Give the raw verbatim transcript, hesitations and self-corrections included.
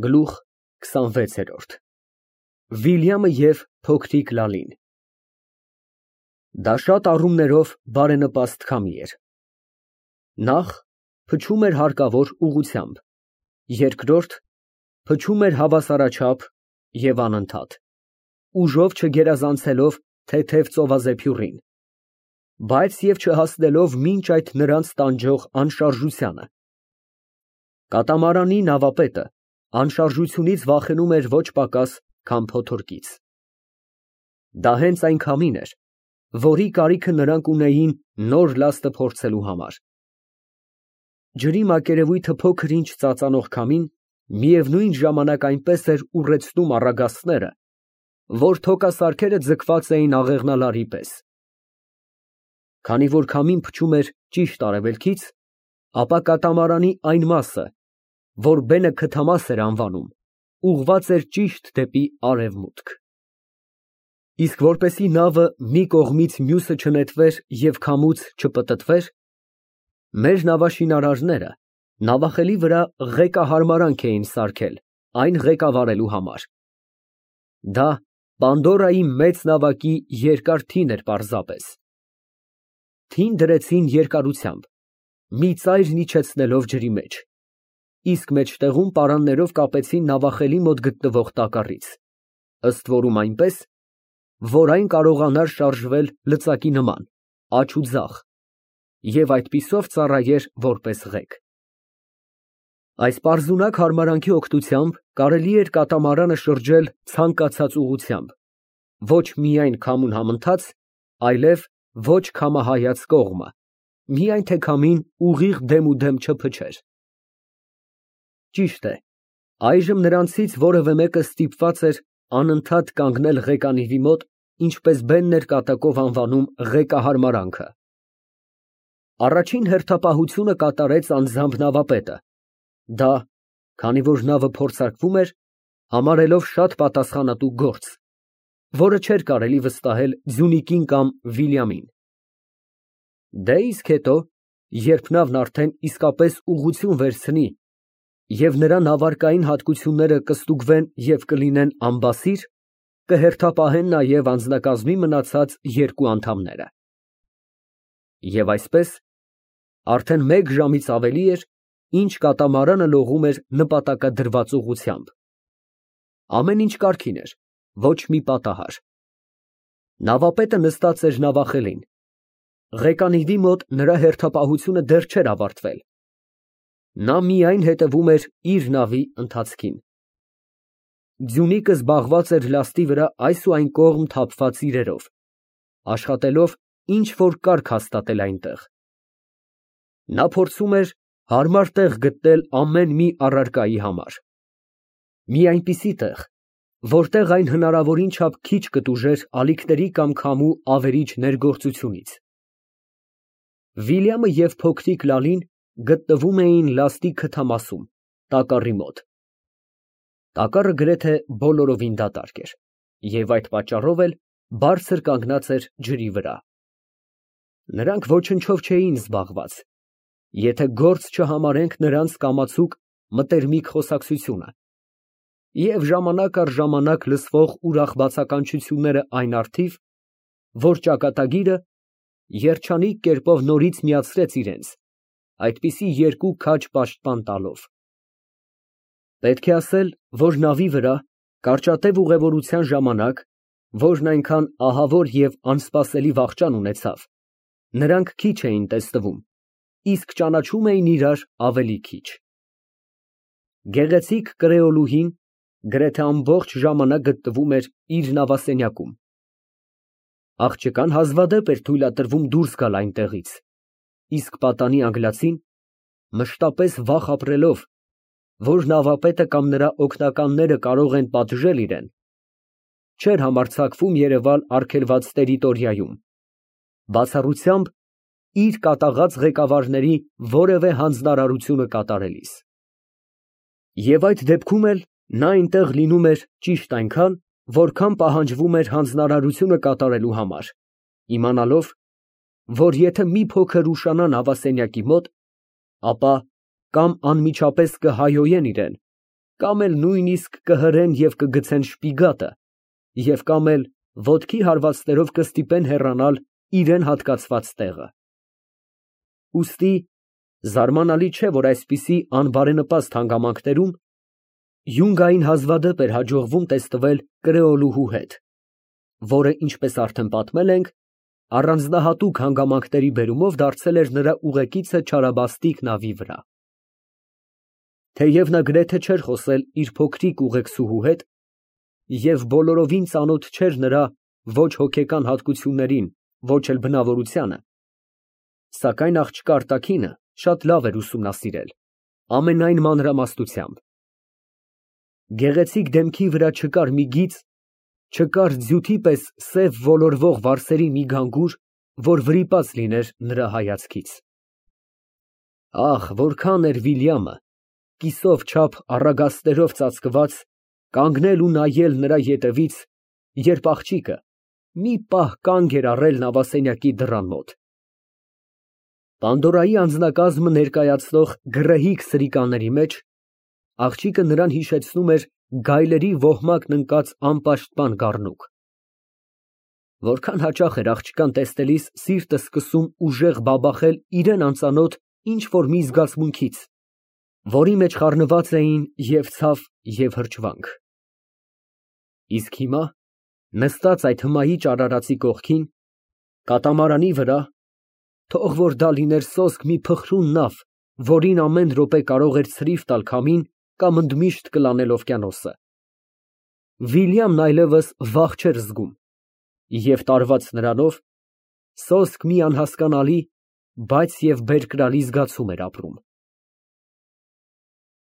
Գլուխ քսանվեց։ Վիլյամը և փոքրիկ Լալին Դա շատ առումներով բարենպաստ քամի էր. նախ, փչում էր հարկավոր ուղղությամբ, երկրորդ, փչում էր հավասարաչափ և անընդհատ, ուժով չգերազանցելով թեթև ծովազեփյուռին, բայց և չհասնելով մինչ այդ նրանց տանջող անշարժությանը։ Կատամարանի նավապետը անշարժությունից վախենում էր ոչ պակաս, քան փոթորկից։ Դա հենց այն քամին էր, որի կարիքը նրանք ունեին նոր լաստը փորձելու համար։ Ջրի մակերևույթը փոքր-ինչ ծածանող քամին միևնույն ժամանակ այնպես էր ուռեցնում առագաստները, որ թոքասարքերը ձգված էին աղեղնալարի պես։ Քանի որ քամին փչում էր ճիշտ արևելքից, ապա կատամարանի այն մասը, որ բենը քթամաս էր անվանում, ուղղված էր ճիշտ դեպի արևմուտք։ Իսկ որպեսզի նավը մի կողմից մյուսը չնետվեր և քամուց չպտտվեր, մեր նավաշինարարները նավախելի վրա ղեկահարմարանք էին սարքել այն ղեկավարելու համար։ Դա Պանդորայի մեծ նավակի երկար թին էր պարզապես։ Թին դրեցին երկարությամբ, մի ծայր իջեցնելով ջրի մեջ, իսկ մեջտեղում պարաններով կապեցին նավախելի մոտ գտնվող տակառից, ըստ որում այնպես, որ այն կարողանար շարժվել լծակի նման, աջ ու ձախ, և այդպիսով ծառայեր որպես ղեկ։ Այս պարզունակ հարմարանքի օգնությամբ կարելի էր կատամարանը շրջել ցանկացած ուղղությամբ, ոչ միայն քամուն համընթաց, այլև ոչ քամահայաց կողմը, միայն թե քամին ուղիղ դեմուդեմ չփչեր։ Ճիշտ է, այժմ նրանցից որևէ մեկը ստիպված էր անընդհատ կանգնել ղեկանիվի մոտ, ինչպես բենն էր կատակով անվանում ղեկահարմարանքը։ Առաջին հերթապահությունը կատարեց անձամբ նավապետը, դա, քանի որ նավը փորձարկվում էր, համարելով շատ պատասխանատու գործ, որը չէր կարելի վստահել Ձյունիկին կամ Վիլյամին։ Դե իսկ հետո, երբ նավն արդեն իսկապես ուղղություն վերցնի և նրա նավարկային հատկությունները կստուգվեն և կլինեն ամբասիր, կհերթապահեն նաև անձնակազմի մնացած երկու անդամները։ Եվ այսպես, արդեն մեկ ժամից ավելի էր, ինչ կատամարանը լողում էր նպատակադրված ուղղությամբ։ Ամեն ինչ կարգին էր, ոչ մի պատահար։ Նավապետը նստած էր նավախելին։ Ղեկանիվի մոտ նրա հերթապահությունը դեռ չէր ավարտվել։ Նա միայն հետևում էր իր նավի ընթացքին։ Ձյունիկը զբաղված էր լաստի վրա այս ու այն կողմ թափված իրերով, աշխատելով ինչ֊որ կարգ հաստատել այնտեղ։ Նա փորձում էր հարմար տեղ գտնել ամեն մի առարկայի համար։ Մի այնպիսի տեղ, որտեղ այն հնարավորին չափ քիչ կտուժեր ալիքների կամ քամու ավերիչ ներգործությունից։ Վիլյամը և փոքրիկ Լալին գտնվում էին լաստի քթամասում, տակառի մոտ։ Տակառը գրեթե բոլորովին դատարկ էր և այդ պատճառով էլ բարձր կանգնած էր ջրի վրա։ Նրանք ոչնչով չէին զբաղված, եթե գործ չհամարենք նրանց կամացուկ մտերմիկ խոսակցությունը և ժամանակ առ ժամանակ լսվող ուրախ բացականչությունները այն առթիվ, որ ճակատագիրը երջանիկ կերպով նորից միացրեց իրենց, այդպիսի երկու քաջ պաշտպան տալով։ Պետք է ասել, որ նավի վրա, կարճատև ուղևորության ժամանակ, որն այնքան ահավոր և անսպասելի վախճան ունեցավ, նրանք քիչ էին տեսնվում, իսկ ճանաչում էին իրար ավելի քիչ։ Գեղեցիկ կրեոլուհին գրեթե ամբողջ ժամանակ գտնվում էր իր նավասենյակում։ Աղջկան հազվադեպ էր թույլատրվում դուրս գալ այնտեղից, իսկ պատանի անգլացին, մշտապես վախ ապրելով, որ նավապետը կամ նրա օգնականները կարող են պատժել իրան, չէր համարձակվում երևալ արգելված տերիտորիայում, բացառությամբ իր կատաղած ղեկավարների որևէ հանձնարարությունը կատարելիս։ Եվ այդ դեպքում էլ նա այնտեղ լինում էր ճիշտ այնքան, որքան պահանջվում էր հանձնարարությունը կատարելու համար, իմանալով, որ եթե մի փոքր ուշանա նավասենյակի մոտ, ապա կամ անմիջապես կհայհոյեն իրան, կամ էլ նույնիսկ կհրեն և կգցեն շպիգատը և կամ էլ ոտքի հարվածներով կստիպեն հեռանալ իրան հատկացված տեղը։ Ուստի զարմանալի չէ, որ այսպիսի անբարենպաստ հանգամանքներում Յունգային հազվադեպ էր հաջողվում տեսնվել կրեոլուհու հետ, որը, ինչպես արդեն պատմել ենք, առանձնահատուկ հանգամանքների բերումով դարձել էր նրա ուղեկիցը չարաբաստիկ նավի վրա։ Թեև նա գրեթե չէր խոսել իր փոքրիկ ուղեկցուհու հետ և բոլորովին ծանոթ չէր նրա ոչ հոգեկան հատկություններին, ոչ էլ բնավորությանը, սակայն աղջկա արտաքինը շատ լավ էր ուսումնասիրել, ամենայն մանրամասնությամբ։ Գեղեցիկ դեմքի վրա չկար մի գիծ, չկար ձյութի պես սև ոլորվող վարսերի մի գանգուր, որ վրիպած լիներ նրա հայացքից։ Ահ, որքան էր Վիլյամը, կիսով չափ առագաստերով ծածկված, կանգնել ու նայել նրա ետևից, երբ աղջիկը մի պահ կանգ էր առել նավասենյակի դռան մոտ։ Պանդորայի անձնակազմը ներկայացնող գռեհիկ սրիկաների մեջ աղջիկը նրան հիշեցնում էր գայլերի ոհմակն ընկած անպաշտպան գառնուկ։ Որքան հաճախ էր աղջկան տեսնելիս սիրտը սկսում ուժեղ բաբախել իրան անծանոթ ինչ֊որ մի զգացմունքից, որի մեջ խառնված էին և ցավ, և հրճվանք։ Իսկ հիմա, նստած այդ հմայիչ արարածի կողքին, կատամարանի վրա, թող որ դա լիներ սոսկ մի փխրուն նավ, որին ամեն րոպե կարող էր ցրիվ տալ քամին կամ ընդմիշտ կլանել օվկիանոսը, Վիլյամն այլևս վախ չէր զգում և, տարված նրանով, սոսկ մի անհասկանալի, բայց և բերկրալի զգացում էր ապրում։